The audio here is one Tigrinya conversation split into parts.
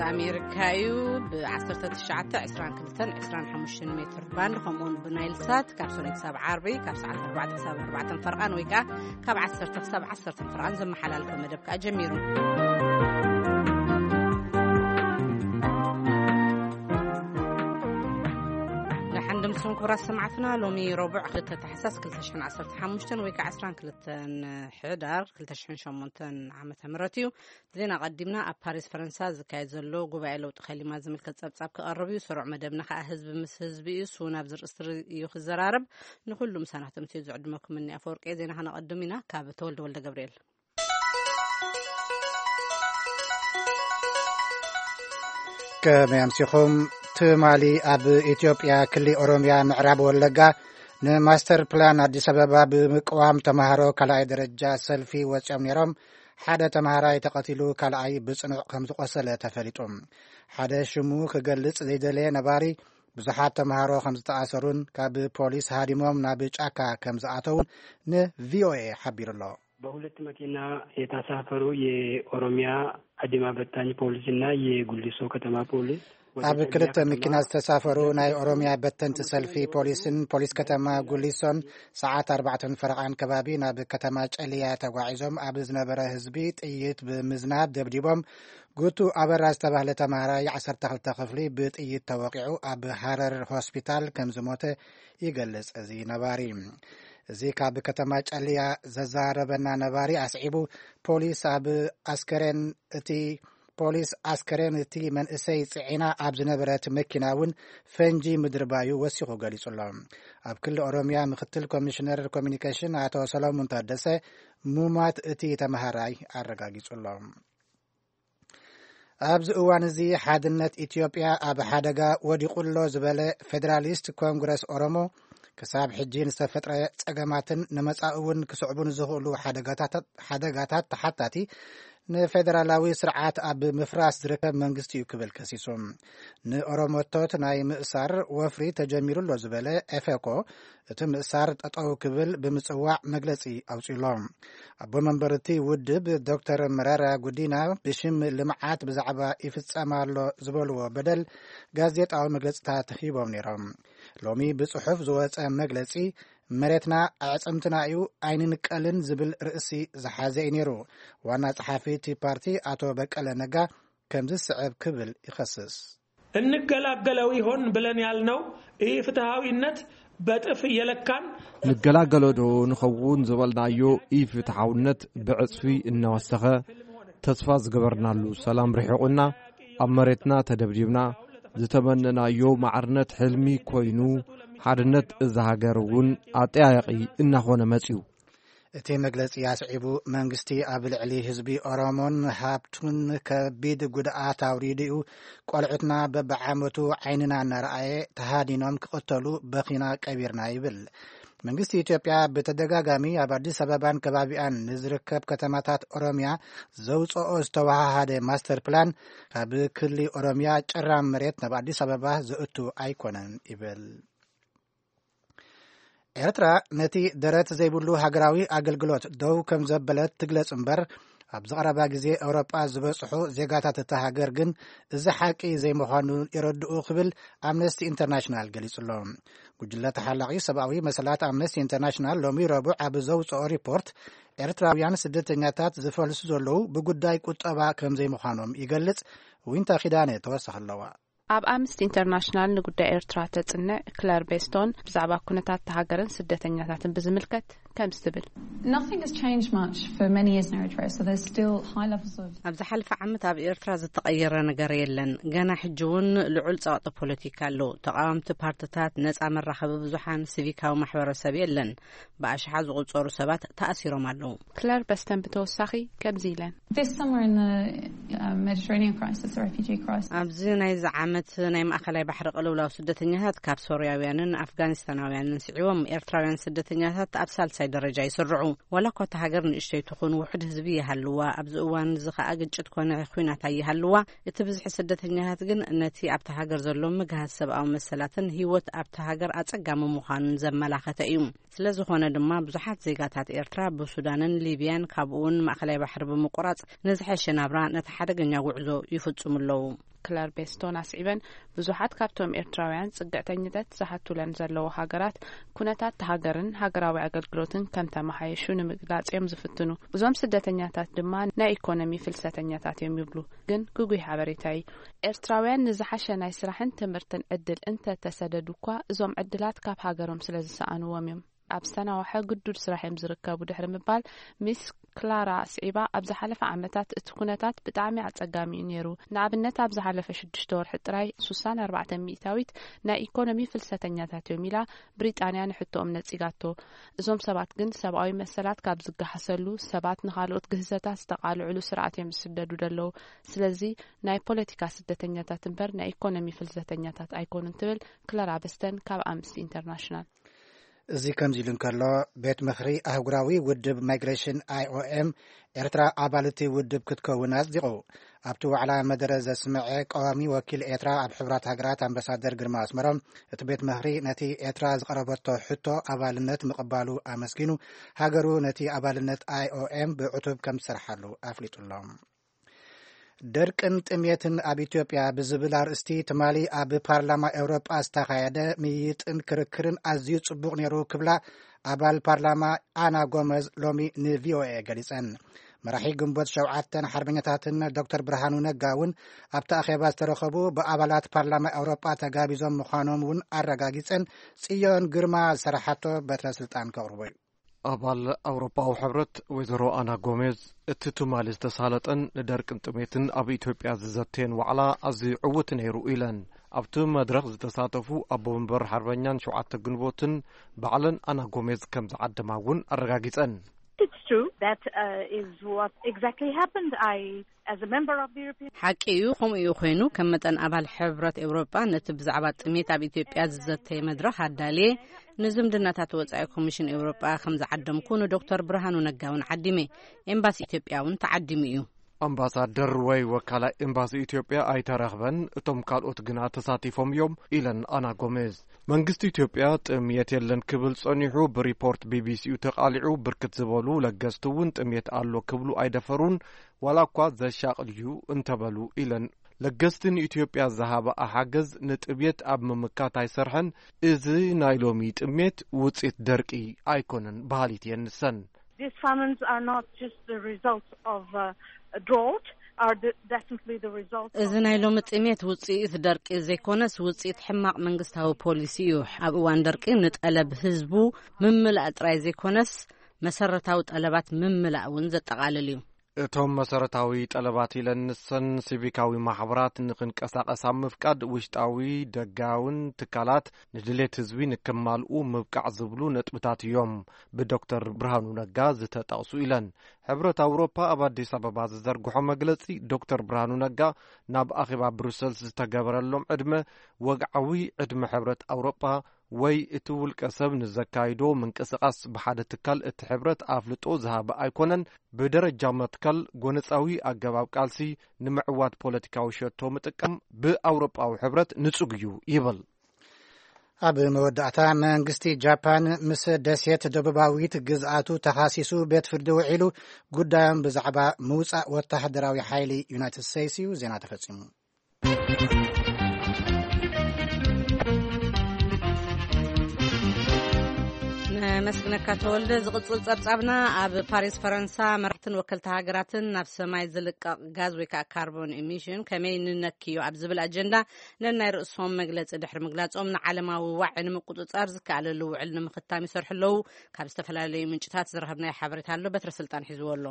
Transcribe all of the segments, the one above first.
ኣሜሪካ እዩ። ብ1922 25 ሜትር ባንድ፣ ከምኡውን ብናይል ሳት ካብ ሰሉስ ክሳብ ዓርቢ ካብ ሰዓት ኣርባዕተ ክሳብ ኣርባዕተ ፈርቓን ወይ ከዓ ካብ ዓሰርተ ክሳብ ዓሰርተ ፈርቓን ዘመሓላልፎ መደብ ከዓ ጀሚሩ። ደሓን ድምስኹም ክቡራት ሰማዕትና። ሎሚ ረቡዕ ክልተ ታሕሳስ ክልተ ሽሕን ዓሰርተ ሓሙሽተን ወይ ከዓ ዕስራን ክልተን ሕዳር ክልተ ሽሕን ሸሞንተን ዓመተ ምህረት እዩ። ዜና ቀዲምና። ኣብ ፓሪስ ፈረንሳ ዝካየድ ዘሎ ጉባኤ ለውጢ ከሊማ ዝምልከት ጸብጻብ ክቐርብ እዩ። ስሩዕ መደብና ከኣ ህዝቢ ምስ ህዝቢ እዩ። እሱ ናብ ዝርእስቲ እዩ ክዘራረብ። ንኹሉ ምሳና ክትምስዩ ዝዕድመኩም እኒ ኣፈወርቂ። ዜና ከነቐድም ኢና። ካብ ተወልደ ወልደ ገብርኤል። ከመይ ኣምሲኹም? ትማሊ ኣብ ኢትዮጵያ ክሊ ኦሮሚያ ምዕራብ ወለጋ ንማስተር ፕላን ኣዲስ ኣበባ ብምቅዋም ተምሃሮ ካልኣይ ደረጃ ሰልፊ ወፂኦም ነይሮም። ሓደ ተምሃራይ ተቐቲሉ፣ ካልኣይ ብጽኑዕ ከም ዝቆሰለ ተፈሊጡ። ሓደ ሽሙ ክገልጽ ዘይደለየ ነባሪ፣ ብዙሓት ተምሃሮ ከም ዝተኣሰሩን ካብ ፖሊስ ሃዲሞም ናብ ጫካ ከም ዝኣተዉን ንቪኦኤ ሓቢሩ ኣሎ። በሁለት መኪና የተሳፈሩ የኦሮሚያ አድማ በታኝ ፖሊስና የጉሊሶ ከተማ ፖሊስ ወደ ኣብ ጨለያ ክልተ ከተማ መኪና ዝተሳፈሩ ናይ ኦሮሚያ በተንቲ ሰልፊ ፖሊስን ፖሊስ ከተማ ጉሊሶን ሰዓት ኣርባዕተን ፈረቓን ከባቢ ናብ ከተማ ጨልያ ተጓዒዞም ኣብ ዝነበረ ህዝቢ ጥይት ብምዝናብ ደብዲቦም። ጉቱ ኣበራ ዝተባህለ ተምሃራይ ዓሰርተ ክልተ ክፍሊ ብጥይት ተወቂዑ ኣብ ሃረር ሆስፒታል ከም ዝሞተ ይገልጽ እዚ ነባሪ። እዚ ካብ ከተማ ጨልያ ዘዛረበና ነባሪ ኣስዒቡ፣ ፖሊስ ኣብ ኣስከሬን እቲ ፖሊስ ኣስከሬን እቲ መንእሰይ ጽዒና ኣብ ዝነበረት መኪና እውን ፈንጂ ምድርባዩ ወሲኹ ገሊጹ ኣሎ። ኣብ ክልል ኦሮሚያ ምክትል ኮሚሽነር ኮሚኒኬሽን ኣቶ ሰሎሞን ታደሰ ሙማት እቲ ተመሃራይ ኣረጋጊጹ ኣሎ። ኣብዚ እዋን እዚ ሓድነት ኢትዮጵያ ኣብ ሓደጋ ወዲቑ ኣሎ ዝበለ ፌዴራሊስት ኮንግረስ ኦሮሞ፣ ክሳብ ሕጂ ንዝተፈጥረ ጸገማትን ንመጻኢ እውን ክስዕቡ ንዝኽእሉ ሓደጋታት፣ ሓደጋታት ተሓታቲ ንፌዴራላዊ ስርዓት ኣብ ምፍራስ ዝርከብ መንግስቲ እዩ ክብል ከሲሱ። ንኦሮሞቶት ናይ ምእሳር ወፍሪ ተጀሚሩ ኣሎ ዝበለ ኤፌኮ፣ እቲ ምእሳር ጠጠው ክብል ብምጽዋዕ መግለጺ ኣውጺኡ ኣሎ። ኣቦ መንበር እቲ ውድብ ዶክተር መረራ ጉዲና ብሽም ልምዓት ብዛዕባ ይፍጸም ኣሎ ዝበልዎ በደል ጋዜጣዊ መግለጽታት ሂቦም ነይሮም። ሎሚ ብጽሑፍ ዝወጸ መግለጺ፣ መሬትና ኣዕጽምትና እዩ ኣይንንቀልን ዝብል ርእሲ ዝሓዘ እዩ ነይሩ። ዋና ጸሓፊ እቲ ፓርቲ ኣቶ በቀለ ነጋ ከምዚ ዝስዕብ ክብል ይኸስስ። እንገላገለው ይሆን ብለን ያልነው ይህ ፍትሐዊነት በጥፍ እየለካን ንገላገሎ ዶ ንኸውን ዝበልናዮ ኢፍትሓውነት ብዕጽፊ እናወሰኸ፣ ተስፋ ዝገበርናሉ ሰላም ርሒቑና፣ ኣብ መሬትና ተደብዲብና፣ ዝተመነናዮ ማዕርነት ሕልሚ ኮይኑ፣ ሓድነት እዛ ሃገር እውን ኣጠያያቒ እናኾነ መጺኡ። እቲ መግለጺ ኣስዒቡ፣ መንግስቲ ኣብ ልዕሊ ህዝቢ ኦሮሞን ሃብቱን ከቢድ ጉድኣት ኣውሪዱ እዩ። ቆልዑትና በብዓመቱ ዓይንና እናረኣየ ተሃዲኖም ክቕተሉ በኺና ቀቢርና ይብል። መንግስቲ ኢትዮጵያ ብተደጋጋሚ ኣብ ኣዲስ ኣበባን ከባቢኣን ንዝርከብ ከተማታት ኦሮሚያ ዘውፅኦ ዝተወሃሃደ ማስተር ፕላን ካብ ክሊ ኦሮሚያ ጨራም መሬት ናብ ኣዲስ ኣበባ ዘእቱ ኣይኮነን ይብል። ኤርትራ ነቲ ደረት ዘይብሉ ሃገራዊ ኣገልግሎት ደው ከም ዘበለት ትግለጽ እምበር፣ ኣብዚ ቀረባ ግዜ ኤውሮጳ ዝበጽሑ ዜጋታት እታ ሃገር ግን እዚ ሓቂ ዘይምዃኑ የረድኡ ክብል ኣምነስቲ ኢንተርናሽናል ገሊጹ ኣሎ። ጉጅለ ተሓላቒ ሰብኣዊ መሰላት ኣምነስቲ ኢንተርናሽናል ሎሚ ረቡዕ ኣብ ዘውጽኦ ሪፖርት፣ ኤርትራውያን ስደተኛታት ዝፈልሱ ዘለዉ ብጉዳይ ቁጠባ ከም ዘይምዃኖም ይገልጽ። ዊንታ ኪዳነ ተወሳኺ ኣለዋ። ኣብ ኣምነስቲ ኢንተርናሽናል ንጉዳይ ኤርትራ ተጽንዕ ክለር ቤስቶን ብዛዕባ ኩነታት እታ ሃገርን ስደተኛታትን ብዝምልከት ከምዚ ትብል። Nothing has changed much for many years in Eritrea, so there's still high levels of ኣብ ዝሓለፈ ዓመት ኣብ ኤርትራ ዝተቐየረ ነገር የለን። ገና ሕጂ እውን ልዑል ጸቕጢ ፖለቲካ ኣሎ። ተቓወምቲ ፓርትታት፣ ነጻ መራኸቢ ብዙሓን፣ ሲቪካዊ ማሕበረሰብ የለን። ብኣሽሓት ዝቑጸሩ ሰባት ተኣሲሮም ኣለዉ። ክለር በስተን ብተወሳኺ ከምዚ ኢለን። This summer in the uh, Mediterranean crisis, the refugee crisis. ኣብዚ ናይዚ ዓመት ናይ ማእኸላይ ባሕሪ ቅልውላው ስደተኛታት ካብ ሶርያውያንን ኣፍጋኒስታናውያንን ስዒቦም ኤርትራውያን ስደተኛታት ኣብ ሳልሳይ ደረጃ ይስርዑ። ዋላ እኳ እታ ሃገር ንእሽተይ ትኹን ውሑድ ህዝቢ ይሃልዋ፣ ኣብዚ እዋን እዚ ኸኣ ግጭት ኮነ ኹናት ኣይሃልዋ፣ እቲ ብዝሒ ስደተኛታት ግን ነቲ ኣብታ ሃገር ዘሎ ምግሃስ ሰብኣዊ መሰላትን ህይወት ኣብታ ሃገር ኣጸጋሚ ምዃኑን ዘመላኸተ እዩ። ስለ ዝኾነ ድማ ብዙሓት ዜጋታት ኤርትራ ብሱዳንን ሊብያን ካብኡ እውን ማእኸላይ ባሕሪ ብምቁራጽ ንዝሐሸ ናብራ ነቲ ሓደገኛ ጉዕዞ ይፍጽሙ ኣለዉ። ክለር ቤስቶን ኣስዒበን፣ ብዙሓት ካብቶም ኤርትራውያን ጽግዕተኝነት ዝሓቱለን ዘለዉ ሃገራት፣ ኩነታት ሃገርን ሃገራዊ ኣገልግሎትን ከም ተመሓየሹ ንምግላጽ እዮም ዝፍትኑ። እዞም ስደተኛታት ድማ ናይ ኢኮኖሚ ፍልሰተኛታት እዮም ይብሉ። ግን ግጉይ ሓበሬታ እዩ። ኤርትራውያን ንዝሓሸ ናይ ስራሕን ትምህርትን ዕድል እንተ ተሰደዱ እኳ፣ እዞም ዕድላት ካብ ሃገሮም ስለ ዝሰኣንዎም እዮም። ኣብ ዝተናውሐ ግዱድ ስራሕ እዮም ዝርከቡ ድሕሪ ምባል፣ ሚስ ክላራ ኣስዒባ፣ ኣብ ዝሓለፈ ዓመታት እቲ ኩነታት ብጣዕሚ ኣጸጋሚ እዩ ነይሩ። ንኣብነት፣ ኣብ ዝሓለፈ ሽዱሽተ ወርሒ ጥራይ ሱሳን ኣርባዕተ ሚእታዊት ናይ ኢኮኖሚ ፍልሰተኛታት እዮም ኢላ ብሪጣንያ ንሕቶኦም ነጺጋቶ። እዞም ሰባት ግን ሰብኣዊ መሰላት ካብ ዝገሃሰሉ፣ ሰባት ንኻልኦት ግህሰታት ዝተቓልዕሉ ስርዓት እዮም ዝስደዱ ዘለዉ። ስለዚ ናይ ፖለቲካ ስደተኛታት እምበር ናይ ኢኮኖሚ ፍልሰተኛታት ኣይኮኑን ትብል ክላራ በስተን ካብ ኣምነስቲ ኢንተርናሽናል። እዚ ከምዚ ኢሉ እንከሎ፣ ቤት ምኽሪ ኣህጉራዊ ውድብ ማይግሬሽን፣ ኣይኦኤም፣ ኤርትራ ኣባል እቲ ውድብ ክትከውን ኣጽዲቑ። ኣብቲ ዋዕላ መደረ ዘስምዐ ቀዋሚ ወኪል ኤርትራ ኣብ ሕቡራት ሃገራት ኣምባሳደር ግርማ ኣስመሮም፣ እቲ ቤት ምኽሪ ነቲ ኤርትራ ዝቐረበቶ ሕቶ ኣባልነት ምቕባሉ ኣመስጊኑ፣ ሃገሩ ነቲ ኣባልነት ኣይኦኤም ብዕቱብ ከም ትሰርሓሉ ኣፍሊጡሎም። ደርቅን ጥሜትን ኣብ ኢትዮጵያ ብዝብል ኣርእስቲ ትማሊ ኣብ ፓርላማ ኤውሮጳ ዝተኻየደ ምይይጥን ክርክርን ኣዝዩ ጽቡቕ ነይሩ ክብላ ኣባል ፓርላማ ኣና ጎመዝ ሎሚ ንቪኦኤ ገሊጸን። መራሒ ግንቦት ሸውዓተን ሓርበኛታትን ዶክተር ብርሃኑ ነጋ እውን ኣብቲ ኣኼባ ዝተረኸቡ ብኣባላት ፓርላማ ኤውሮጳ ተጋቢዞም ምዃኖም እውን ኣረጋጊጸን። ጽዮን ግርማ ዝሰራሓቶ በትረ ስልጣን ከቕርቦ እዩ። ኣባል ኣውሮፓዊ ሕብረት ወይዘሮ ኣና ጎሜዝ፣ እቲ ትማሊ ዝተሳለጠን ንደርቅን ጥሜትን ኣብ ኢትዮጵያ ዝዘተየን ዋዕላ ኣዝዩ ዕዉት ነይሩ ኢለን። ኣብቲ መድረኽ ዝተሳተፉ ኣቦ መንበር ሓርበኛን ሸውዓተ ግንቦትን ባዕለን ኣና ጎሜዝ ከም ዝዓደማ እውን ኣረጋጊጸን። It's true. That uh, is what exactly happened. I, as a member of the European ሓቂ እዩ፣ ከምኡ እዩ ኮይኑ። ከም መጠን ኣባል ሕብረት ኤውሮጳ፣ ነቲ ብዛዕባ ጥሜት ኣብ ኢትዮጵያ ዝዘተየ መድረኽ ኣዳልየ፣ ንዝምድናታት ወጻኢ ኮሚሽን ኤውሮጳ ከም ዝዓደምኩ ንዶክተር ብርሃኑ ነጋ እውን ዓዲመ። ኤምባሲ ኢትዮጵያ እውን ተዓዲሙ እዩ። ኣምባሳደር ወይ ወካላይ ኤምባሲ ኢትዮጵያ ኣይተረኽበን፣ እቶም ካልኦት ግና ተሳቲፎም እዮም ኢለን ኣና ጎሜዝ። መንግስቲ ኢትዮጵያ ጥምየት የለን ክብል ጸኒሑ፣ ብሪፖርት ቢቢሲኡ ተቓሊዑ፣ ብርክት ዝበሉ ለገስቲ እውን ጥምየት ኣሎ ክብሉ ኣይደፈሩን፣ ዋላ እኳ ዘሻቕል እዩ እንተበሉ ኢለን። ለገስቲ ንኢትዮጵያ ዝሃበኣ ሓገዝ ንጥምየት ኣብ ምምካት ኣይሰርሐን፣ እዚ ናይ ሎሚ ጥምየት ውጽኢት ደርቂ ኣይኮነን በሃሊት እየን ንሰን። These famines are not just the result of uh, a drought, are the, definitely the result እዚ of ናይ ሎሚ ጥሜት ውጽኢት ደርቂ ዘይኮነስ፣ ውጽኢት ሕማቕ መንግስታዊ ፖሊሲ እዩ። ኣብ እዋን ደርቂ ንጠለብ ህዝቡ ምምላእ ጥራይ ዘይኮነስ፣ መሰረታዊ ጠለባት ምምላእ እውን ዘጠቓልል እዩ። እቶም መሰረታዊ ጠለባት ኢለን ንሰን፣ ሲቪካዊ ማሕበራት ንክንቀሳቐስ ኣብ ምፍቃድ፣ ውሽጣዊ ደጋውን ትካላት ንድሌት ህዝቢ ንክማልኡ ምብቃዕ ዝብሉ ነጥብታት እዮም ብዶክተር ብርሃኑ ነጋ ዝተጠቕሱ ኢለን። ሕብረት ኣውሮፓ ኣብ ኣዲስ ኣበባ ዝዘርግሖ መግለጺ፣ ዶክተር ብርሃኑ ነጋ ናብ ኣኼባ ብሩሰልስ ዝተገበረሎም ዕድመ፣ ወግዓዊ ዕድመ ሕብረት ኣውሮፓ ወይ እቲ ውልቀ ሰብ ንዘካይዶ ምንቅስቓስ ብሓደ ትካል እቲ ሕብረት ኣፍልጦ ዝሃበ ኣይኮነን። ብደረጃ መትከል ጎነጻዊ ኣገባብ ቃልሲ ንምዕዋት ፖለቲካዊ ሸቶ ምጥቃም ብኣውሮጳዊ ሕብረት ንጹግ እዩ ይብል። ኣብ መወዳእታ፣ መንግስቲ ጃፓን ምስ ደሴት ደቡባዊት ግዝኣቱ ተኻሲሱ ቤት ፍርዲ ውዒሉ፣ ጉዳዮም ብዛዕባ ምውጻእ ወተሃደራዊ ሓይሊ ዩናይትድ ስቴትስ እዩ። ዜና ተፈጺሙ። ነመስግነካ ተወልደ። ዝቕጽል ጸብጻብና፣ ኣብ ፓሪስ ፈረንሳ፣ መራሕትን ወከልቲ ሃገራትን ናብ ሰማይ ዝልቀቕ ጋዝ ወይ ከዓ ካርቦን ኢሚሽን ከመይ ንነክዮ ኣብ ዝብል ኣጀንዳ ነናይ ርእሶም መግለጺ ድሕሪ ምግላጾም፣ ንዓለማዊ ዋዒ ንምቁጽጻር ዝከኣለሉ ውዕል ንምኽታም ይሰርሑ ኣለዉ። ካብ ዝተፈላለዩ ምንጭታት ዝረኸብናዮ ሓበሬታ ኣሎ፣ በትረ ስልጣን ሒዝዎ ኣሎ።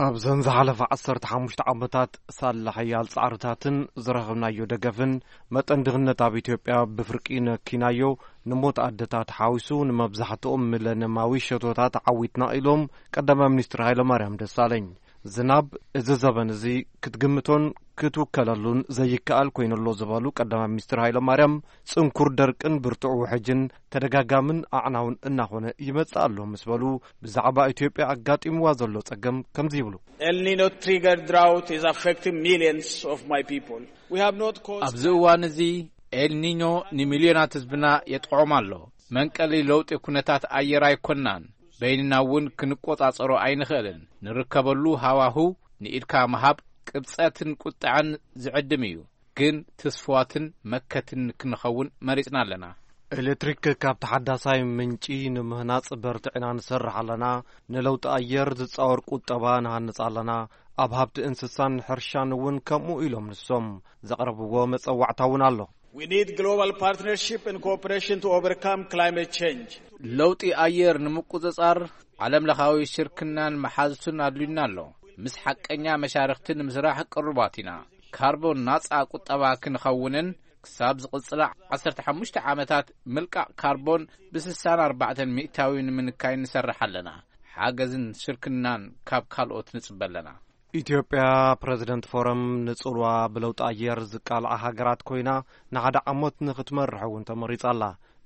ኣብዘን ዝሓለፋ ዓሰርተ ሓሙሽተ ዓመታት፣ ሳላ ሓያል ጻዕርታትን ዝረኸብናዮ ደገፍን፣ መጠን ድኽነት ኣብ ኢትዮጵያ ብፍርቂ ነኪናዮ፣ ንሞት ኣደታት ሓዊሱ ንመብዛሕትኦም ሚለንየማዊ ሸቶታት ዓዊትና ኢሎም ቀዳማይ ሚኒስትር ሃይለማርያም ደሳለኝ። ዝናብ እዚ ዘበን እዚ ክትግምቶን ክትውከለሉን ዘይከኣል ኮይኑ ኣሎ ዝበሉ ቀዳማይ ሚኒስትር ሃይለማርያም፣ ጽንኩር ደርቅን ብርቱዕ ውሕጅን ተደጋጋምን ኣዕናውን እናኾነ ይመጽእ ኣሎ ምስ በሉ፣ ብዛዕባ ኢትዮጵያ ኣጋጢምዋ ዘሎ ጸገም ከምዚ ይብሉ። El Nino triggered drought is affecting millions of my people. We have not caused ኣብዚ እዋን እዚ ኤልኒኞ ንሚልዮናት ህዝብና የጥቕዖም ኣሎ። መንቀሊ ለውጢ ኩነታት ኣየር ኣይኮናን። በይንና እውን ክንቆጻጸሮ ኣይንኽእልን። ንርከበሉ ሃዋሁ ንኢድካ ምሃብ ቅብጸትን ቁጥዐን ዝዕድም እዩ። ግን ትስፍዋትን መከትን ክንኸውን መሪጽና ኣለና። ኤሌክትሪክ ካብ ተሓዳሳይ ምንጪ ንምህናጽ በርትዕና ንሰርሕ ኣለና። ንለውጢ ኣየር ዝጻወር ቁጠባ ንሃንጽ ኣለና። ኣብ ሃብቲ እንስሳን ሕርሻን እውን ከምኡ ኢሎም ንሶም ዘቕረብዎ መጸዋዕታ እውን ኣሎ። We need global partnership and cooperation to overcome climate change. ለውጢ ኣየር ንምቁጽጻር ዓለም ለኻዊ ሽርክናን መሓዙትን ኣድልዩና ኣሎ። ምስ ሓቀኛ መሻርኽቲ ንምስራሕ ቅሩባት ኢና። ካርቦን ናጻ ቁጠባ ክንኸውንን ክሳብ ዝቕጽላ ዓሰርተ ሓሙሽተ ዓመታት ምልቃቕ ካርቦን ብ64% ንምንካይ ንሰርሕ ኣለና። ሓገዝን ሽርክናን ካብ ካልኦት ንጽበ ኣለና። ኢትዮጵያ ፕረዚደንት ፎረም ንጽልዋ ብለውጢ ኣየር ዝቃልዓ ሃገራት ኮይና ንሓደ ዓመት ንኽትመርሕ እውን ተመሪጻ ኣላ።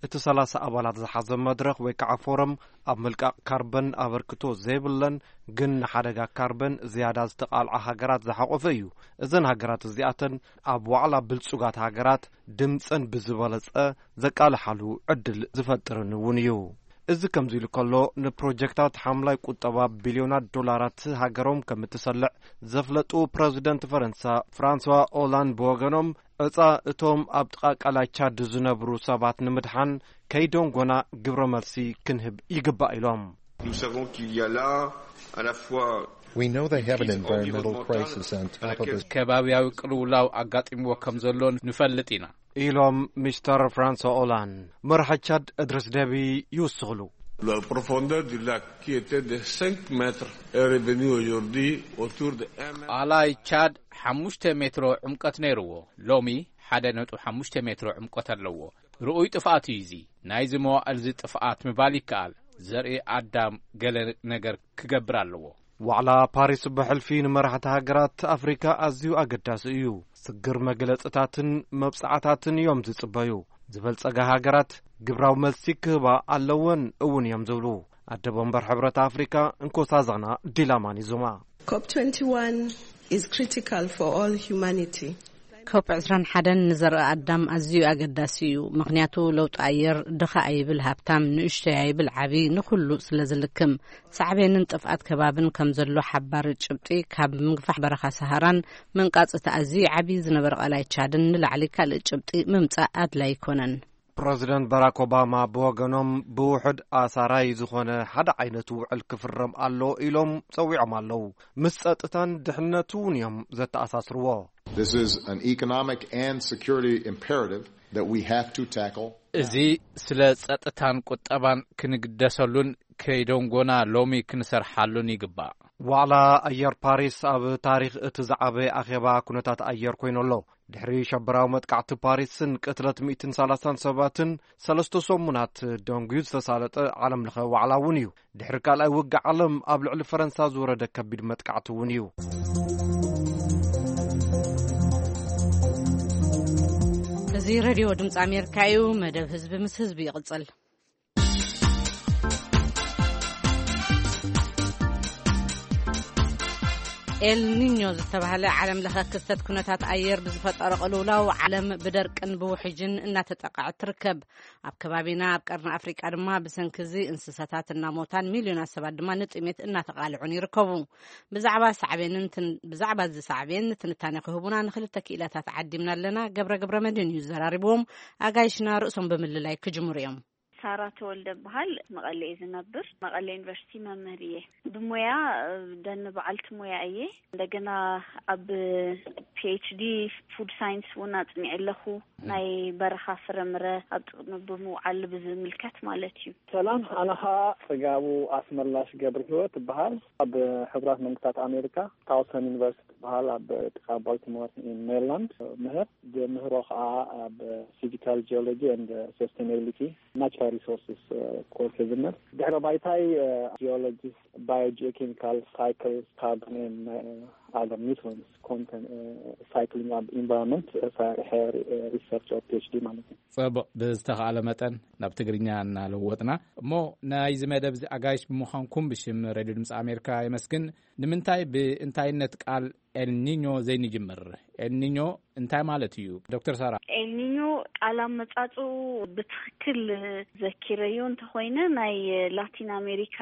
እቲ ሰላሳ ኣባላት ዝሓዘ መድረኽ ወይ ከዓ ፎረም ኣብ ምልቃቕ ካርበን ኣበርክቶ ዘይብለን ግን ንሓደጋ ካርበን ዝያዳ ዝተቓልዓ ሃገራት ዝሓቆፈ እዩ። እዘን ሃገራት እዚኣተን ኣብ ዋዕላ ብልጹጋት ሃገራት ድምፀን ብዝበለፀ ዘቃልሓሉ ዕድል ዝፈጥርን እውን እዩ። እዚ ከምዚ ኢሉ ከሎ ንፕሮጀክታት ሓምላይ ቁጠባ ቢልዮናት ዶላራት ሃገሮም ከም እትሰልዕ ዘፍለጡ ፕረዚደንት ፈረንሳ ፍራንስዋ ኦላንድ ብወገኖም ዕፃ እቶም ኣብ ጥቓ ቀላይ ቻድ ዝነብሩ ሰባት ንምድሓን ከይደንጎና ግብረ መልሲ ክንህብ ይግባእ ኢሎም። Nous savons qu'il y a là à la fois We know they have an environmental crisis on top of this. ከባብያዊ ቅልውላው ኣጋጢምዎ ከም ዘሎ ንፈልጥ ኢና። ኢሎም ሚስተር ፍራንሶ ኦላንድ። መራሒ ቻድ እድሪስ ደቢ ይውስኽሉ። La profondeur du lac qui était de cinq mètres est revenue aujourd'hui autour de un mètre. ቃላይ ቻድ ሓሙሽተ ሜትሮ ዕምቀት ነይርዎ፣ ሎሚ ሓደ ነጥቢ ሓሙሽተ ሜትሮ ዕምቀት ኣለዎ። ርኡይ ጥፍኣት እዩ እዚ። ናይዚ መዋእልዚ ጥፍኣት ምባል ይከኣል። ዘርኢ ኣዳም ገለ ነገር ክገብር ኣለዎ። ዋዕላ ፓሪስ ብሕልፊ ንመራሕቲ ሃገራት ኣፍሪካ ኣዝዩ ኣገዳሲ እዩ። ስግር መግለፅታትን መብፅዓታትን እዮም ዝፅበዩ። ዝበልፀጋ ሃገራት ግብራዊ መልሲ ክህባ ኣለወን እውን እዮም ዝብሉ ኣደ መንበር ሕብረት ኣፍሪካ እንኮሳዛና ዲላማኒ ዙማ። ኮፕ ትወንቲ ዋን ኢዝ ክሪቲካል ፎር ኦል ሂዩማኒቲ። ኮፕ ዕስራን ሓደን ንዘርኢ ኣዳም ኣዝዩ ኣገዳሲ እዩ። ምኽንያቱ ለውጢ ኣየር ድኻ ኣይብል ሃብታም፣ ንእሽቶይ ኣይብል ዓቢ፣ ንኹሉ ስለ ዝልክም ሳዕቤንን ጥፍኣት ከባብን ከም ዘሎ ሓባሪ ጭብጢ ካብ ምግፋሕ በረኻ ሰሃራን ምንቃጽ እቲ ኣዝዩ ዓቢ ዝነበረ ቃላይ ቻድን ንላዕሊ ካልእ ጭብጢ ምምጻእ ኣድላይ ኣይኮነን። ፕረዚደንት ባራክ ኦባማ ብወገኖም ብውሕድ ኣሳራይ ዝኾነ ሓደ ዓይነት ውዕል ክፍረም ኣሎ ኢሎም ጸዊዖም ኣለዉ። ምስ ጸጥታን ድሕነቱ እውን እዮም ዘተኣሳስርዎ። This is an economic and security imperative that we have to tackle. እዚ ስለ ጸጥታን ቁጠባን ክንግደሰሉን ከይደንጎና ሎሚ ክንሰርሓሉን ይግባእ። ዋዕላ ኣየር ፓሪስ ኣብ ታሪኽ እቲ ዝዓበየ ኣኼባ ኩነታት ኣየር ኮይኑ ኣሎ። ድሕሪ ሸበራዊ መጥቃዕቲ ፓሪስን ቅትለት ሚእትን ሰላሳን ሰባትን ሰለስተ ሰሙናት ደንጉዩ ዝተሳለጠ ዓለም ለኸ ዋዕላ እውን እዩ። ድሕሪ ካልኣይ ውግእ ዓለም ኣብ ልዕሊ ፈረንሳ ዝወረደ ከቢድ መጥቃዕቲ እውን እዩ። እዚ ሬድዮ ድምፂ ኣሜሪካ እዩ። መደብ ህዝቢ ምስ ህዝቢ ይቕጽል። ኤልኒኞ ዝተባህለ ዓለም ለኸ ክስተት ኩነታት ኣየር ብዝፈጠሮ ቅልውላው ዓለም ብደርቅን ብውሕጅን እናተጠቃዐት ትርከብ። ኣብ ከባቢና ኣብ ቀርኒ ኣፍሪቃ ድማ ብሰንኪ እዚ እንስሳታት እናሞታን ሚልዮናት ሰባት ድማ ንጥሜት እናተቃልዑን ይርከቡ። ብዛዕባ ሳዕቤንን ብዛዕባ እዚ ሳዕቤን ትንታነ ክህቡና ንክልተ ክኢላታት ዓዲምና ኣለና። ገብረ ገብረ መድህን እዩ ዘራሪብዎም። ኣጋይሽና ርእሶም ብምልላይ ክጅምሩ እዮም። ሳራ ተወልደ በሃል፣ መቐለ እየ ዝነብር። መቐለ ዩኒቨርሲቲ መምህር እየ። ብሞያ ደን በዓልቲ ሞያ እየ። እንደገና ኣብ ፒኤችዲ ፉድ ሳይንስ እውን ኣፅኒዐ ኣለኹ። ናይ በረኻ ፍረምረ ኣብ ጥቕሚ ብምውዓል ብዝምልከት ማለት እዩ። ሰላም፣ ኣነ ኸዓ ጽጋቡ ኣስመላሽ ገብረ ህይወት እበሃል። ኣብ ሕቡራት መንግስታት ኣሜሪካ ታውሰን ዩኒቨርሲቲ ትበሃል ኣብ ጥቓ ባልቲሞር ሜሪላንድ ምህር። ምህሮ ኸዓ ኣብ ፊዚካል ጂኦሎጂ ኤንድ ሰስቴናቢሊቲ ናቹራል ሪሶርስስ ኮርስ ዝምር። ድሕረ ባይታይ ጂኦሎጂ፣ ባዮጂኦኬሚካል ሳይክል፣ ካርቦን፣ ኣዘር ኒውትሪንስ ኮንተንት፣ ሳይክሊንግ ኣብ ኢንቫይሮንመንት ሰሪሐ ሪሰርች ኦፍ ፒኤችዲ ማለት እዩ። ጽቡቕ፣ ብዝተኻእለ መጠን ናብ ትግርኛ እናለወጥና እሞ ናይዚ መደብ እዚ ኣጋይሽ ብምዃንኩም ብሽም ሬድዮ ድምፂ ኣሜሪካ የመስግን። ንምንታይ ብእንታይነት ቃል ኤልኒኞ ዘይንጅምር። ኤልኒኞ እንታይ ማለት እዩ? ዶክተር ሳራ። ኤልኒኞ ቃል ኣመጻጽኡ ብትኽክል ዘኪረዮ እንተኾይነ፣ ናይ ላቲን ኣሜሪካ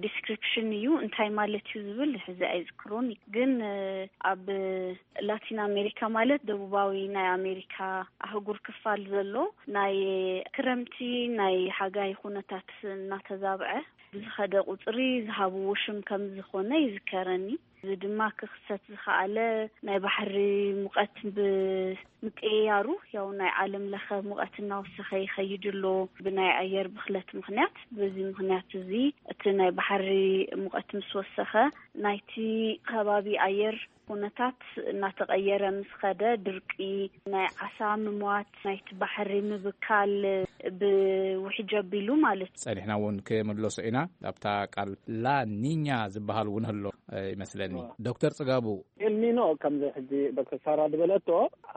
ዲስክሪፕሽን እዩ። እንታይ ማለት እዩ ዝብል ሕዚ ኣይዝክሮን። ግን ኣብ ላቲን ኣሜሪካ ማለት ደቡባዊ ናይ ኣሜሪካ ኣህጉር ክፋል ዘሎ፣ ናይ ክረምቲ ናይ ሓጋይ ኩነታት እናተዛብዐ ብዝኸደ ቁጽሪ ዝሃብዎ ሽም ከም ዝኾነ ይዝከረኒ። እዚ ድማ ክኽሰት ዝኸኣለ ናይ ባሕሪ ሙቐት ብምቅይያሩ፣ ያው ናይ ዓለም ለኸ ሙቐት እናወሰኸ ይኸይድ ኣሎ ብናይ ኣየር ብኽለት ምኽንያት። በዚ ምኽንያት እዚ እቲ ናይ ባሕሪ ሙቐት ምስ ወሰኸ፣ ናይቲ ከባቢ ኣየር ኩነታት እናተቐየረ ምስ ኸደ፣ ድርቂ፣ ናይ ዓሳ ምሟት፣ ናይቲ ባሕሪ ምብካል ብውሕጅ ኣቢሉ ማለት እዩ። ጸኒሕና እውን ክምለሶ ኢና። ኣብታ ቃል ላኒኛ ዝበሃል እውን ህሎ ይመስለኒ። ዶክተር ጽጋቡ። ኤልኒኖ ከምዚ ሕጂ ዶክተር ሳራ ዝበለቶ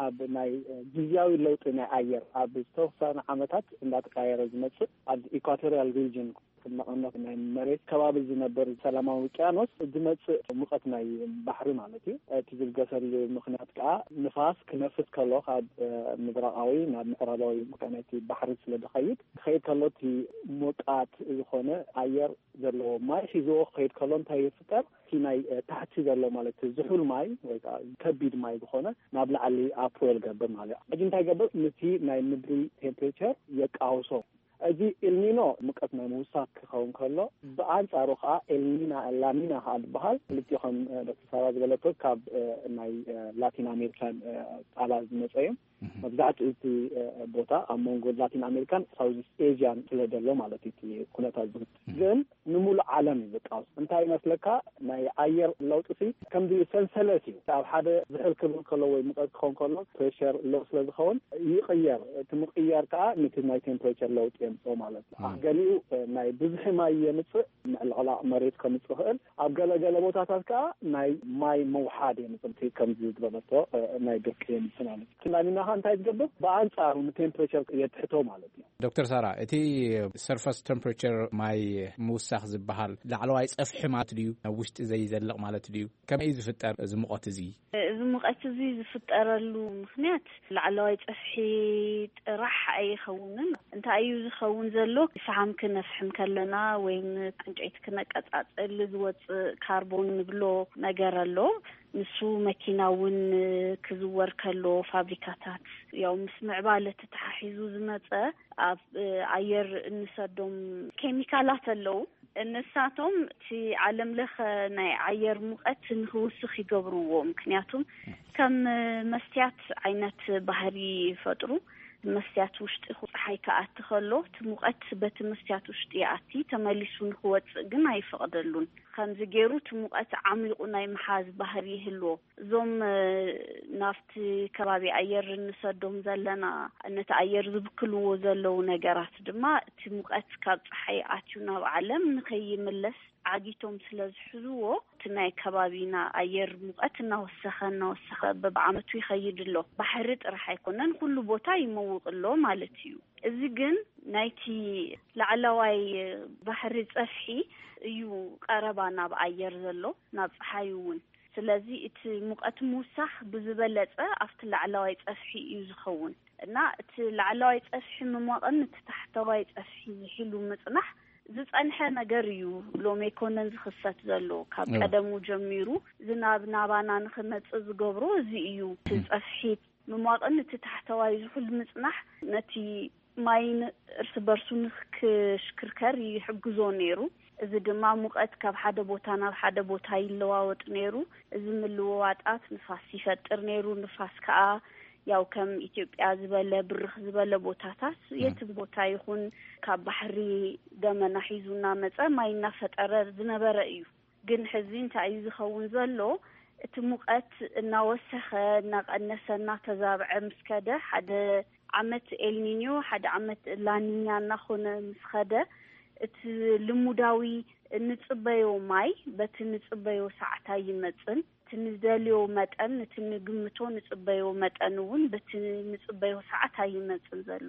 ኣብ ናይ ግዝያዊ ለውጢ ናይ ኣየር ኣብ ዝተወሰነ ዓመታት እንዳተቀየረ ዝመጽእ ኣብ ኢኳቶሪያል ሪጅን ክመቐነት ናይ መሬት ከባቢ ዝነበር ሰላማዊ ውቅያኖስ ዝመጽእ ሙቐት ናይ ባሕሪ ማለት እዩ። እቲ ዝብገሰሉ ምኽንያት ከዓ ንፋስ ክነፍስ ከሎ ካብ ምብራቃዊ ናብ ምዕራባዊ ናይቲ ባሕሪ ስለ ዝኸይድ ክኸይድ ከሎ እቲ ሞቃት ዝኾነ ኣየር ዘለዎ ማይ ሒዝዎ ክኸይድ ከሎ እንታይ ይፍጠር? እቲ ናይ ታሕቲ ዘሎ ማለት ዝሑል ማይ ወይ ከዓ ከቢድ ማይ ዝኾነ ናብ ላዕሊ ኣፕዌል ገብር ማለት እዩ። ሕጂ እንታይ ገብር? ነቲ ናይ ምድሪ ቴምፕሬቸር የቃውሶ። እዚ ኢልኒኖ ሙቀት ናይ ምውሳኽ ክኸውን ከሎ፣ ብኣንጻሩ ከዓ ኤልኒና ላኒና ከዓ ዝበሃል ክልቲኦም ዶክተር ሳራ ዝበለቶ ካብ ናይ ላቲን ኣሜሪካን ቃላት ዝመፀ እዮም። መብዛሕትኡ እቲ ቦታ ኣብ መንጎ ላቲን ኣሜሪካን ሳውዝ ኤዥያን ስለ ዘሎ ማለት እዩ እቲ ኩነታት ዝብል። ግን ንሙሉእ ዓለም እዩ ዝቃወስ። እንታይ ይመስለካ? ናይ ኣየር ለውጢ ሲ ከምዚ ሰንሰለት እዩ። ኣብ ሓደ ዝሕል ክብል ከሎ ወይ ሙቀት ክኸውን ከሎ ፕሬሸር ሎ ስለ ዝኸውን ይቕየር። እቲ ምቕያር ከዓ ነቲ ናይ ቴምፕሬቸር ለውጢ የምፅኦ ማለት እዩ። ገሊኡ ናይ ብዙሒ ማይ የምፅእ፣ ምዕልቕላቕ መሬት ከምፅእ ይኽእል። ኣብ ገለገለ ቦታታት ከዓ ናይ ማይ ምውሓድ የምፅእ። ከምዚ ዝበለቶ ናይ ድርቂ የምፅእ ማለት እዩ። ላኒና ከዓ እንታይ ዝገብር? ብኣንፃሩ ንቴምፕሬቸር የትሕቶ ማለት እዩ። ዶክተር ሳራ፣ እቲ ሰርፈስ ቴምፕሬቸር ማይ ምውሳኽ ዝበሃል ላዕለዋይ ጸፍሒ ማለት ድዩ? ናብ ውሽጢ ዘይዘልቕ ማለት ድዩ? ከመይ እዩ ዝፍጠር እዚ ሙቐት እዚ? እዚ ሙቐት እዚ ዝፍጠረሉ ምኽንያት ላዕለዋይ ጸፍሒ ጥራሕ ኣይኸውንን። እንታይ እዩ ዝኸውን ዘሎ? ፈሓም ክነፍሕም ከለና ወይም ዕንጨይቲ ክነቀጻጽል ዝወጽእ ካርቦን ንብሎ ነገር ኣሎ። ንሱ መኪና እውን ክዝወር ከሎ ፋብሪካታት ያው ምስ ምዕባለ ተተሓሒዙ ዝመጸ ኣብ ኣየር እንሰዶም ኬሚካላት ኣለዉ። ንሳቶም እቲ ዓለም ለኸ ናይ ኣየር ሙቐት ንክውስኽ ይገብርዎ። ምክንያቱም ከም መስትያት ዓይነት ባህሪ ይፈጥሩ። መስትያት ውሽጢ ጸሓይ ክኣቲ ከሎ እቲ ሙቐት በቲ መስትያት ውሽጢ ይኣቲ፣ ተመሊሱ ንክወጽእ ግን ኣይፈቕደሉን። ከምዚ ገይሩ እቲ ሙቐት ዓሚቑ ናይ ምሓዝ ባህሪ ይህልዎ። እዞም ናፍቲ ከባቢ ኣየር እንሰዶም ዘለና ነቲ ኣየር ዝብክልዎ ዘለዉ ነገራት ድማ እቲ ሙቐት ካብ ጸሓይ ኣትዩ ናብ ዓለም ንኸይምለስ ዓጊቶም ስለ ዝሕዝዎ እቲ ናይ ከባቢና ኣየር ሙቐት እናወሰኸ እናወሰኸ በብዓመቱ ይኸይድ ኣሎ። ባሕሪ ጥራሕ ኣይኮነን፣ ኩሉ ቦታ ይመውቕ ኣሎ ማለት እዩ። እዚ ግን ናይቲ ላዕለዋይ ባሕሪ ጸፍሒ እዩ ቀረባ ናብ ኣየር ዘሎ፣ ናብ ጸሓይ እውን። ስለዚ እቲ ሙቐት ምውሳኽ ብዝበለጸ ኣብቲ ላዕለዋይ ጸፍሒ እዩ ዝኸውን። እና እቲ ላዕለዋይ ጸፍሒ ምሟቕን እቲ ታሕተዋይ ጸፍሒ ዝሒሉ ምጽናሕ ዝጸንሐ ነገር እዩ። ሎሚ ኣይኮነን ዝኽሰት ዘሎ፣ ካብ ቀደሙ ጀሚሩ ዝናብ ናባና ንኽመጽእ ዝገብሮ እዚ እዩ። እቲ ጸፍሒ ምሟቕን እቲ ታሕተዋይ ዝሑል ምጽናሕ ነቲ ማይ እርስ በርሱ ንክሽክርከር ይሕግዞ ነይሩ። እዚ ድማ ሙቐት ካብ ሓደ ቦታ ናብ ሓደ ቦታ ይለዋወጥ ነይሩ። እዚ ምልውዋጣት ንፋስ ይፈጥር ነይሩ። ንፋስ ከዓ ያው ከም ኢትዮጵያ ዝበለ ብርኽ ዝበለ ቦታታት የትም ቦታ ይኹን ካብ ባሕሪ ደመና ሒዙ እናመጸ ማይ እናፈጠረ ዝነበረ እዩ። ግን ሕዚ እንታይ እዩ ዝኸውን ዘሎ? እቲ ሙቐት እናወሰኸ፣ እናቐነሰ፣ እናተዛብዐ ምስ ከደ፣ ሓደ ዓመት ኤልኒኞ፣ ሓደ ዓመት ላኒኛ እናኾነ ምስ ኸደ፣ እቲ ልሙዳዊ እንጽበዮ ማይ በቲ ንጽበዮ ሰዓት ኣይመጽን። እቲ ንደልዮ መጠን፣ እቲ ንግምቶ ንጽበዮ መጠን እውን በቲ ንጽበዮ ሰዓት ኣይመጽን ዘሎ።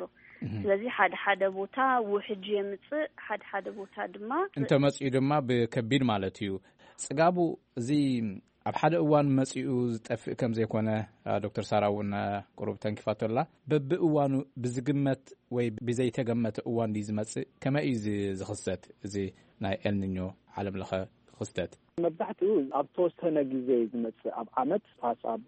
ስለዚ ሓደ ሓደ ቦታ ውሕጅ የምጽእ፣ ሓደ ሓደ ቦታ ድማ እንተመጽኡ ድማ ብከቢድ ማለት እዩ። ጽጋቡ፣ እዚ ኣብ ሓደ እዋን መጺኡ ዝጠፍእ ከም ዘይኮነ ዶክተር ሳራ እውን ቁሩብ ተንኪፋቶ ኣላ። በብእዋኑ ብዝግመት ወይ ብዘይተገመተ እዋን ድዩ ዝመጽእ? ከመይ እዩ ዝ- ዝኽሰት እዚ ናይ ኤልኒኞ ዓለም ለኸ ክስተት? መብዛሕትኡ ኣብ ተወሰነ ግዜ እዩ ዝመጽእ። ኣብ ዓመት ፓስ ኣብ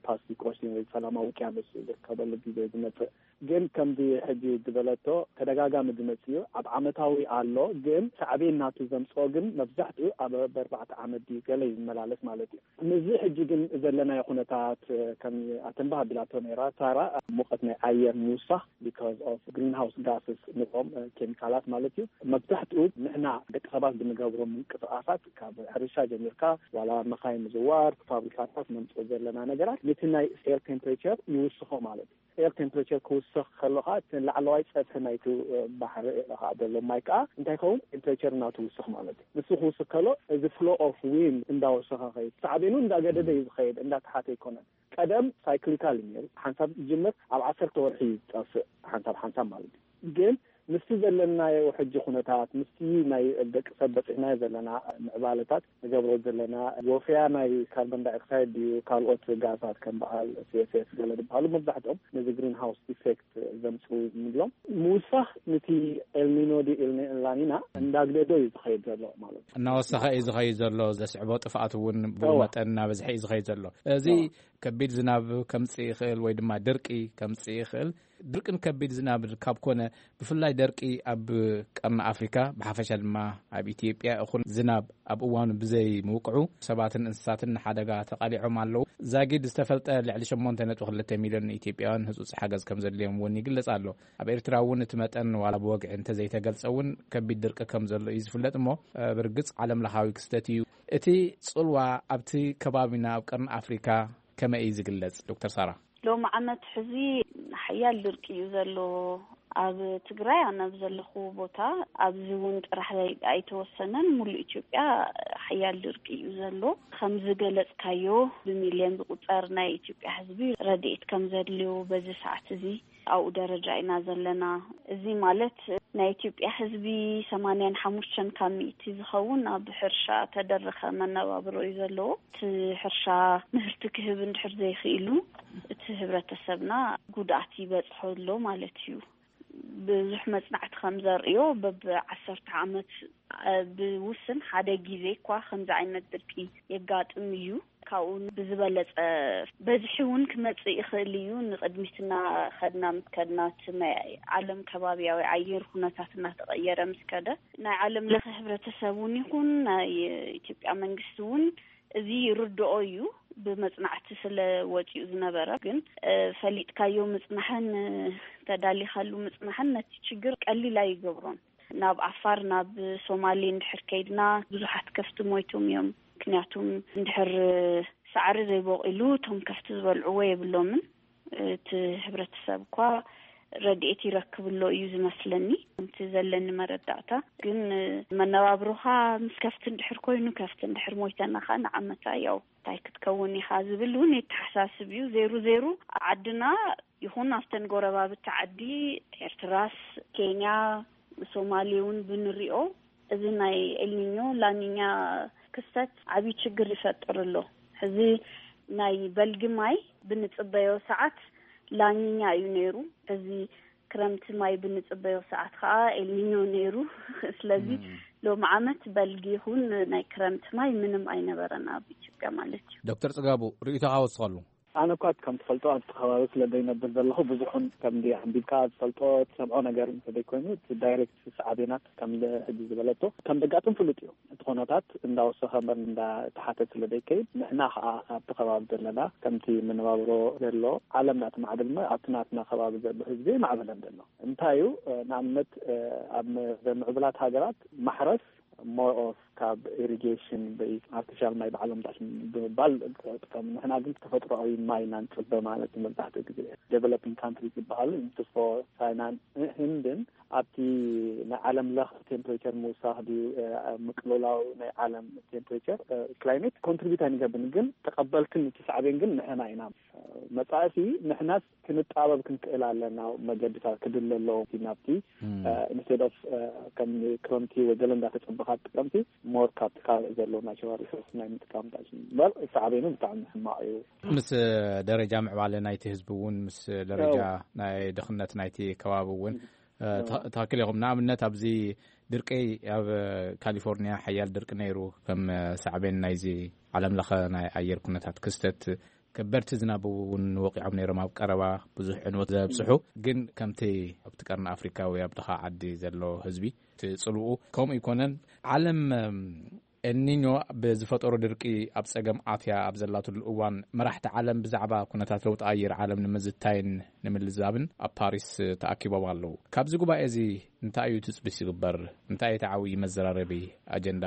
ፓስፊክ ኦሽን ወይ ሰላማዊ ውቅያኖስ ዝርከበሉ ግዜ ዝመጽእ። ግን ከምዚ ሕጂ ዝበለቶ ተደጋጋሚ ዝመጽእ እዩ። ኣብ ዓመታዊ ኣሎ፣ ግን ሳዕቤን ናቱ ዘምጽኦ ግን መብዛሕትኡ ኣብ በርባዕተ ዓመት ድዩ ገለ እዩ ዝመላለስ ማለት እዩ። ምስዚ ሕጂ ግን ዘለናዮ ኩነታት ከም ኣተንባህ ኣቢላቶ ነይራ ሳራ፣ ሙቐት ናይ ኣየር ምውሳኽ because of greenhouse gases ንብሎም ኬሚካላት ማለት እዩ። መብዛሕትኡ ንሕና ደቂ ሰባት ብንገብሮ ምንቅስቃሳት ካብ ሕርሻ ጀሚርካ ዋላ መኻይ ምዝዋር ፋብሪካታት ነምፅኦ ዘለና ነገራት ነቲ ናይ ኤር ቴምፕሬቸር ይውስኾ ማለት እዩ። ኤር ቴምፕሬቸር ክውስኽ ከሎ ከዓ እቲ ላዕለዋይ ፀፍሒ ናይቲ ባሕሪ ከዓ ዘሎ ማይ ከዓ እንታይ ይኸውን? ቴምፕሬቸር እናትውስኽ ማለት እዩ። ንሱ ክውስኽ ከሎ እዚ ፍሎ ኦፍ ዊንድ እንዳወሰኸ ከይድ ሳዕቤኑ እንዳገደደ እዩ ዝኸይድ፣ እንዳተሓተ ኣይኮነን። ቀደም ሳይክሊካል እዩ ነይሩ። ሓንሳብ ዝጅምር ኣብ ዓሰርተ ወርሒ እዩ ዝጠፍእ ሓንሳብ ሓንሳብ ማለት እዩ። ግን ምስቲ ዘለናዮ ሕጂ ኩነታት ምስቲ ናይ ደቂ ሰብ በፂሕናዮ ዘለና ምዕባለታት ንገብሮ ዘለና ወፍያ ናይ ካርቦን ዳይኦክሳይድ ድዩ ካልኦት ጋዛት ከም በዓል ሲ ኤፍ ኤስ ገለ ዝበሃሉ መብዛሕትኦም ነዚ ግሪን ሃውስ ኢፌክት ዘምፅኡ ንብሎም ምውሳኽ ንቲ ኤልኒኖ ዲ ኤልኒላኒና እንዳግደዶ እዩ ዝኸይድ ዘሎ ማለት እዩ። እናወሰኸ እዩ ዝኸይድ ዘሎ። ዘስዕቦ ጥፍኣት እውን ብኡ መጠን እናበዝሐ እዩ ዝኸይድ ዘሎ። እዚ ከቢድ ዝናብ ከምፅእ ይኽእል ወይ ድማ ድርቂ ከምፅእ ይኽእል። ድርቅን ከቢድ ዝናብ ካብ ኮነ ብፍላይ ደርቂ ኣብ ቀርኒ ኣፍሪካ ብሓፈሻ ድማ ኣብ ኢትዮጵያ እኹል ዝናብ ኣብ እዋኑ ብዘይ ምውቅዑ ሰባትን እንስሳትን ንሓደጋ ተቓሊዖም ኣለዉ። ዛጊድ ዝተፈልጠ ልዕሊ ሸሞንተ ነጥቢ ክልተ ሚልዮን ኢትዮጵያውያን ህፁፅ ሓገዝ ከም ዘድልዮም እውን ይግለጽ ኣሎ። ኣብ ኤርትራ እውን እቲ መጠን ዋላ ብወግዒ እንተዘይተገልጸ እውን ከቢድ ድርቂ ከም ዘሎ እዩ ዝፍለጥ እሞ ብርግጽ ዓለም ለኻዊ ክስተት እዩ። እቲ ጽልዋ ኣብቲ ከባቢና ኣብ ቀርኒ ኣፍሪካ ከመይ እዩ ዝግለጽ ዶክተር ሳራ? ሎም ዓመት ሕዚ ሓያል ድርቂ እዩ ዘሎ ኣብ ትግራይ ኣነ ኣብ ዘለኹ ቦታ። ኣብዚ እውን ጥራሕ ኣይተወሰነን፣ ሙሉእ ኢትዮጵያ ሓያል ድርቂ እዩ ዘሎ። ከም ዝገለፅካዮ ብሚልዮን ዝቁፀር ናይ ኢትዮጵያ ህዝቢ ረድኤት ከም ዘድልዩ በዚ ሰዓት እዚ ኣብኡ ደረጃ ኢና ዘለና። እዚ ማለት ናይ ኢትዮጵያ ህዝቢ ሰማንያን ሓሙሽተን ካብ ሚእቲ ዝኸውን ኣብ ሕርሻ ተደረኸ መነባብሮ እዩ ዘለዎ። እቲ ሕርሻ ምህርቲ ክህብ እንድሕር ዘይኽኢሉ እቲ ህብረተሰብና ጉድኣት ይበፅሖ ኣሎ ማለት እዩ። ብዙሕ መፅናዕቲ ከም ዘርእዮ በብ ዓሰርተ ዓመት ብውስን ሓደ ግዜ እኳ ከምዚ ዓይነት ድርቂ የጋጥም እዩ። ካብኡ ብዝበለፀ በዝሒ እውን ክመፅእ ይኽእል እዩ። ንቅድሚትና ከድና ምስ ከድና እቲ ናይ ዓለም ከባቢያዊ ኣየር ኩነታት እናተቐየረ ምስ ከደ ናይ ዓለም ለኸ ህብረተሰብ እውን ይኹን ናይ ኢትዮጵያ መንግስቲ እውን እዚ ይርድኦ እዩ። ብመፅናዕቲ ስለ ወፂኡ ዝነበረ ግን ፈሊጥካዮ ምፅናሕን ተዳሊኻሉ ምፅናሕን ነቲ ችግር ቀሊል ኣይገብሮን። ናብ ዓፋር ናብ ሶማሌ እንድሕር ከይድና ብዙሓት ከፍቲ ሞይቶም እዮም። ምክንያቱም እንድሕር ሳዕሪ ዘይቦቂሉ እቶም ከፍቲ ዝበልዕዎ የብሎምን። እቲ ህብረተሰብ እኳ ረድኤት ይረክብሎ እዩ ዝመስለኒ። ከምቲ ዘለኒ መረዳእታ ግን መነባብሮኻ ምስ ከፍቲ እንድሕር ኮይኑ ከፍቲ እንድሕር ሞይተና ከዓ ንዓመታ ያው እንታይ ክትከውን ኢኻ ዝብል እውን የተሓሳስብ እዩ። ዜሩ ዜሩ ዓድና ይኹን ኣብተን ጎረባብቲ ዓዲ ኤርትራስ ኬንያ ሶማሌ እውን ብንሪኦ እዚ ናይ ኤልኒኞ ላኒኛ ክስተት ዓብዪ ችግር ይፈጥር ኣሎ። ሕዚ ናይ በልጊ ማይ ብንፅበዮ ሰዓት ላኒኛ እዩ ነይሩ። ሕዚ ክረምቲ ማይ ብንፅበዮ ሰዓት ከዓ ኤልኒኞ ነይሩ። ስለዚ ሎም ዓመት በልጊ ይኹን ናይ ክረምቲ ማይ ምንም ኣይነበረን ኣብ ኢትዮጵያ ማለት እዩ። ዶክተር ፅጋቡ ርእይቶኻ ወስኸሉ። ኣነ እኳ ከም ትፈልጦ ኣብቲ ከባቢ ስለ ዘይነብር ዘለኹ ብዙሕን ከምዚ ኣንቢብካ ዝፈልጦ ትሰምዖ ነገር እንተዘይኮይኑ እቲ ዳይሬክት ሳዕቤናት ከም ሕጂ ዝበለቶ ከም ዘጋጥም ፍሉጥ እዩ። እቲ ኩነታት እንዳወሰኸ እምበር እንዳተሓተ ስለ ዘይከይድ ንሕና ከዓ ኣብቲ ከባቢ ዘለና ከምቲ መነባብሮ ዘሎ ዓለም ናቲ ማዕበል እሞ ኣብቲ ናትና ከባቢ ዘሎ ህዝቢ ማዕበለን ዘሎ እንታይ እዩ? ንኣብነት ኣብ ምዕቡላት ሃገራት ማሕረስ more of ካብ ኢሪጌሽን ብይ ኣርቲፊሻል ማይ ባዕሎም ዳሽን ብምባል ጥቀም። ንሕና ግን ተፈጥሮኣዊ ማይ ኢና ንፅበ ማለት እዩ። መብዛሕትኡ ግዜ ዴቨሎፒንግ ካንትሪ ዝበሃሉ ንትፎ ቻይናን ህንድን ኣብቲ ናይ ዓለም ለኽ ቴምፕሬቸር ምውሳኽ ድዩ ምቅልላው ናይ ዓለም ቴምፕሬቸር ክላይሜት ኮንትሪቢዩት ኣይንገብን፣ ግን ተቐበልትን እቲ ሳዕቤን ግን ንሕና ኢና። መፃእሲ ንሕናስ ክንጣበብ ክንክእል ኣለና። መገድታት ክድለ ኣለዎ ናብቲ ኢንስቴድ ኦፍ ከም ክረምቲ ወገለ እንዳተፀበ ካብ ጥቅምቲ ሞር ካብቲ ካልእ ዘሎ ናቹራል ሪሶርስ ናይ ምጥቃም ዳጅ እምበር ሳዕቤኑ ብጣዕሚ ሕማቕ እዩ። ምስ ደረጃ ምዕባለ ናይቲ ህዝቢ እውን፣ ምስ ደረጃ ናይ ድኽነት ናይቲ ከባቢ እውን፣ እ፣ ተ-፣ ትኽክል ኢኹም። ንኣብነት ኣብዚ ድርቂ ኣብ ካሊፎርኒያ ሓያል ድርቂ ነይሩ፣ ከም ሳዕቤን ናይዚ ዓለም ለኸ ናይ ኣየር ኩነታት ክስተት ከበድቲ ዝናብ እውን ወቂዖም ነይሮም ኣብ ቀረባ ብዙሕ ዕንወት ዘብፅሑ። ግን ከምቲ ኣብቲ ቀርኒ ኣፍሪካ ወይ ኣብ ድኻ ዓዲ ዘሎ ህዝቢ እቲ ፅልኡ ከምኡ ኣይኮነን። ዓለም፣ እም፣ ኤልኒኞ ብዝፈጠሮ ድርቂ ኣብ ፀገም ኣትያ ኣብ ዘላትሉ እዋን፣ መራሕቲ ዓለም ብዛዕባ ኩነታት ለውጢ ኣየር ዓለም ንምዝታይን ንምልዛብን ኣብ ፓሪስ ተኣኪቦም ኣለዉ። ካብዚ ጉባኤ እዚ እንታይ እዩ ትፅቢት ዝግበር? እንታይ እቲ ዓብዪ መዘራረቢ ኣጀንዳ?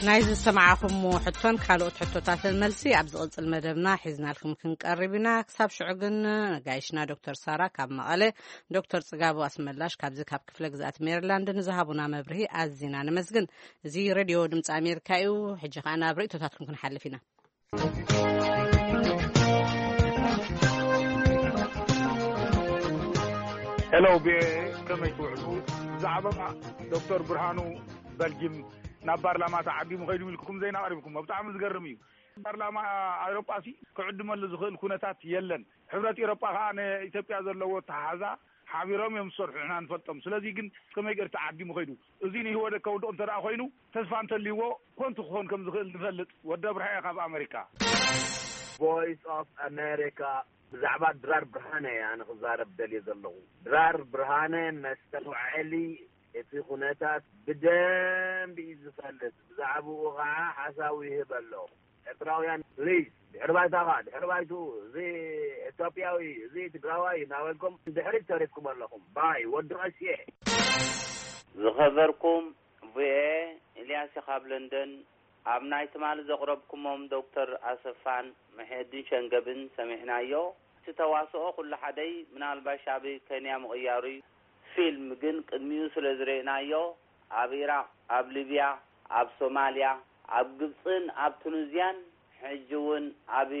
ናይ ዝሰማዕኹምዎ ሕቶን ካልኦት ሕቶታትን መልሲ ኣብ ዝቕጽል መደብና ሒዝናልኩም ክንቀርብ ኢና። ክሳብ ሽዑ ግን ነጋይሽና ዶክተር ሳራ ካብ መቐለ፣ ዶክተር ጽጋቡ ኣስመላሽ ካብዚ ካብ ክፍለ ግዝኣት ሜሪላንድ ንዝሃቡና መብርሂ ኣዚና ነመስግን። እዚ ሬድዮ ድምጺ ኣሜሪካ እዩ። ሕጂ ኸኣ ናብ ርእይቶታትኩም ክንሓልፍ ኢና። ሄሎ፣ ብ-፣ ከመይ ትውዕሉ? ብዛዕባ ዶክተር ብርሃኑ በልጅም ናብ ፓርላማ ተዓዲሙ ኸይዱ ኢልኩም ዜና ኣቕሪብኩም። ብጣዕሚ ዝገርም እዩ። ፓርላማ ኣውሮጳ ሲ ክዕድመሉ ዝኽእል ኩነታት የለን። ሕብረት ኤውሮጳ ኸኣ ንኢትዮጵያ ዘለዎ ኣተሓሕዛ ሓቢሮም እዮም ዝሰርሑ፣ ንሕና ንፈልጦም። ስለዚ ግን ከመይ ገይሩ ተዓዲሙ ኸይዱ? እዚ ንህወደት ከውድቕ እንተ ደኣ ኾይኑ፣ ተስፋ እንተልይዎ፣ ኮንቱ ክኾን ከም ዝኽእል ንፈልጥ። ወዲ ኣብርሃ እየ ካብ ኣመሪካ። ቮይስ ኦፍ ኣሜሪካ፣ ብዛዕባ ድራር ብርሃነ እየ ኣነ ክዛረብ ደልየ ዘለኹ። ድራር ብርሃነ መስተውዐሊ እቲ ኩነታት ብደንቢ እዩ ዝፈልጥ። ብዛዕባኡ ኸዓ ሓሳቡ ይህብ ኣሎ። ኤርትራውያን ፕሊዝ፣ ድሕሪ ባይታኻ፣ ድሕሪ ባይቱ፣ እዚ ኤትዮጵያዊ፣ እዚ ትግራዋይ እናበልኩም ድሕሪት ተሪፍኩም ኣለኹም። ባይ፣ ወዲ ቀስየ። ዝኸበርኩም ቪኦኤ፣ ኢልያስ ካብ ለንደን። ኣብ ናይ ትማሊ ዘቕረብኩሞም ዶክተር ኣሰፋን መሐየዲን ሸንገብን ሰሚዕናዮ። እቲ ተዋስኦ ኩሉ ሓደይ፣ ምናልባሽ ኣብ ኬንያ ምቕያሩ እዩ። ፊልም ግን ቅድሚኡ ስለ ዝረእናዮ፣ ኣብ ኢራቕ፣ ኣብ ሊብያ፣ ኣብ ሶማልያ፣ ኣብ ግብጽን ኣብ ቱኒዝያን፣ ሕጂ እውን ኣብ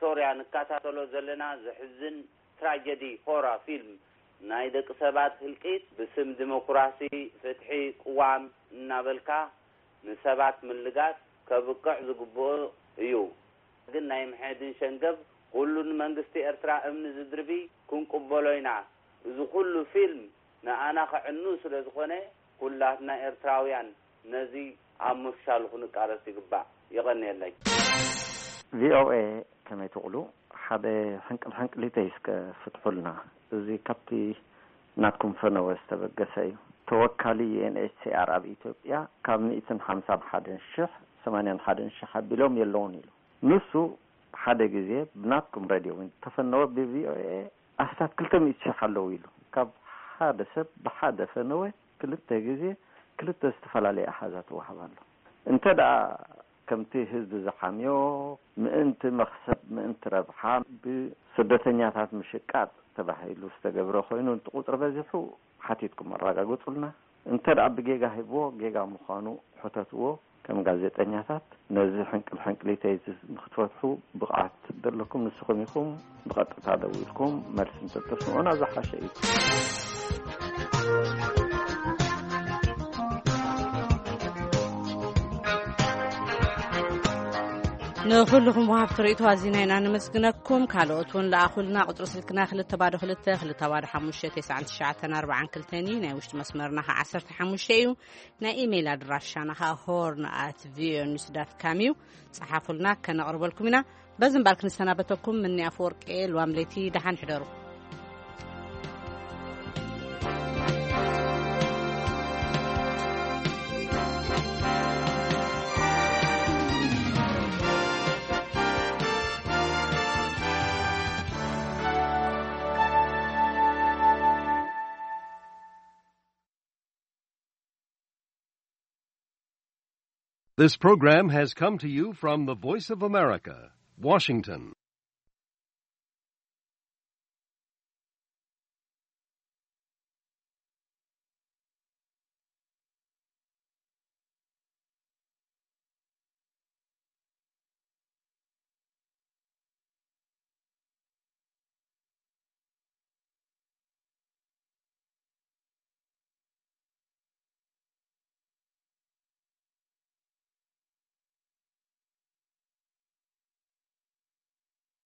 ሶርያ ንከታተሎ ዘለና ዘሕዝን ትራጀዲ ሆራ ፊልም፣ ናይ ደቂ ሰባት ህልቂት ብስም ዲሞክራሲ፣ ፍትሒ፣ ቅዋም እናበልካ ንሰባት ምልጋስ ከብቅዕ ዝግብኦ እዩ። ግን ናይ መሐድን ሸንገብ ኩሉ ንመንግስቲ ኤርትራ እምኒ ዝድርቢ ክንቅበሎ ኢና። እዚ ኩሉ ፊልም ንኣና ከዕኑ ስለ ዝኾነ፣ ኩላትና ኤርትራውያን ነዚ ኣብ ምፍሻሉ ክንቃለስ ይግባእ። የቐንየለይ። ቪኦኤ፣ ከመይ ትቕሉ? ሓደ ሕንቅል ሕንቅሊተይ እስከ ፍትሑልና። እዚ ካብቲ ናትኩም ፈነወ ዝተበገሰ እዩ። ተወካሊ ዩ ኤን ኤች ሲ ኣር ኣብ ኢትዮጵያ ካብ ሚእትን ሓምሳን ሓደን ሽሕ ሰማንያን ሓደን ሽሕ ኣቢሎም የለውን ኢሉ። ንሱ ሓደ ግዜ ብናትኩም ሬድዮ እውን ተፈነወ፣ ብቪኦኤ ኣስታት ክልተ ሚእቲ ሽሕ ኣለዉ ኢሉ። ካብ ሓደ ሰብ ብሓደ ፈነወ ክልተ ግዜ ክልተ ዝተፈላለየ ኣሃዛት ይወሃብ ኣሎ። እንተ ደኣ ከምቲ ህዝቢ ዝሓምዮ ምእንቲ መኽሰብ፣ ምእንቲ ረብሓ፣ ብስደተኛታት ምሽቃጥ ተባሂሉ ዝተገብረ ኮይኑ፣ እቲ ቁጽሪ በዚሑ ሓቲትኩም ኣረጋግጹልና። እንተ ደኣ ብጌጋ ሂብዎ፣ ጌጋ ምዃኑ ሕተትዎ። ከም ጋዜጠኛታት ነዚ ሕንቅል ሕንቅሊተይ እዚ ንክትፈትሑ ብቕዓት ዘለኩም ንስኹም ኢኹም። ብቐጥታ ደዊልኩም መልሲ እንተተስምዑና ዝሓሸ እዩ። ንኹልኹም ወሃብቲ ርእይቶ ኣዚና ኢና ነመስግነኩም። ካልኦት እውን ለኣኹልና። ቁጽሪ ስልክና ክልተ ባዶ ክልተ፣ ክልተ ባዶ ሓሙሽተ፣ ተስዓን ትሽዓተን ኣርባዓን ክልተን እዩ። ናይ ውሽጢ መስመርና ኸዓ ዓሰርተ ሓሙሽተ እዩ። ናይ ኢሜይል ኣድራሻና ኸዓ ሆርን ኣት ቪኦኤ ኒውስ ዳት ካም እዩ። ጸሓፉልና፣ ከነቕርበልኩም ኢና። በዚ እምበኣር ክንሰናበተኩም ምኒ ኣፈወርቂ እየ። ልዋም ለይቲ ደሓን ሕደሩ። This program has come to you from the Voice of America, Washington.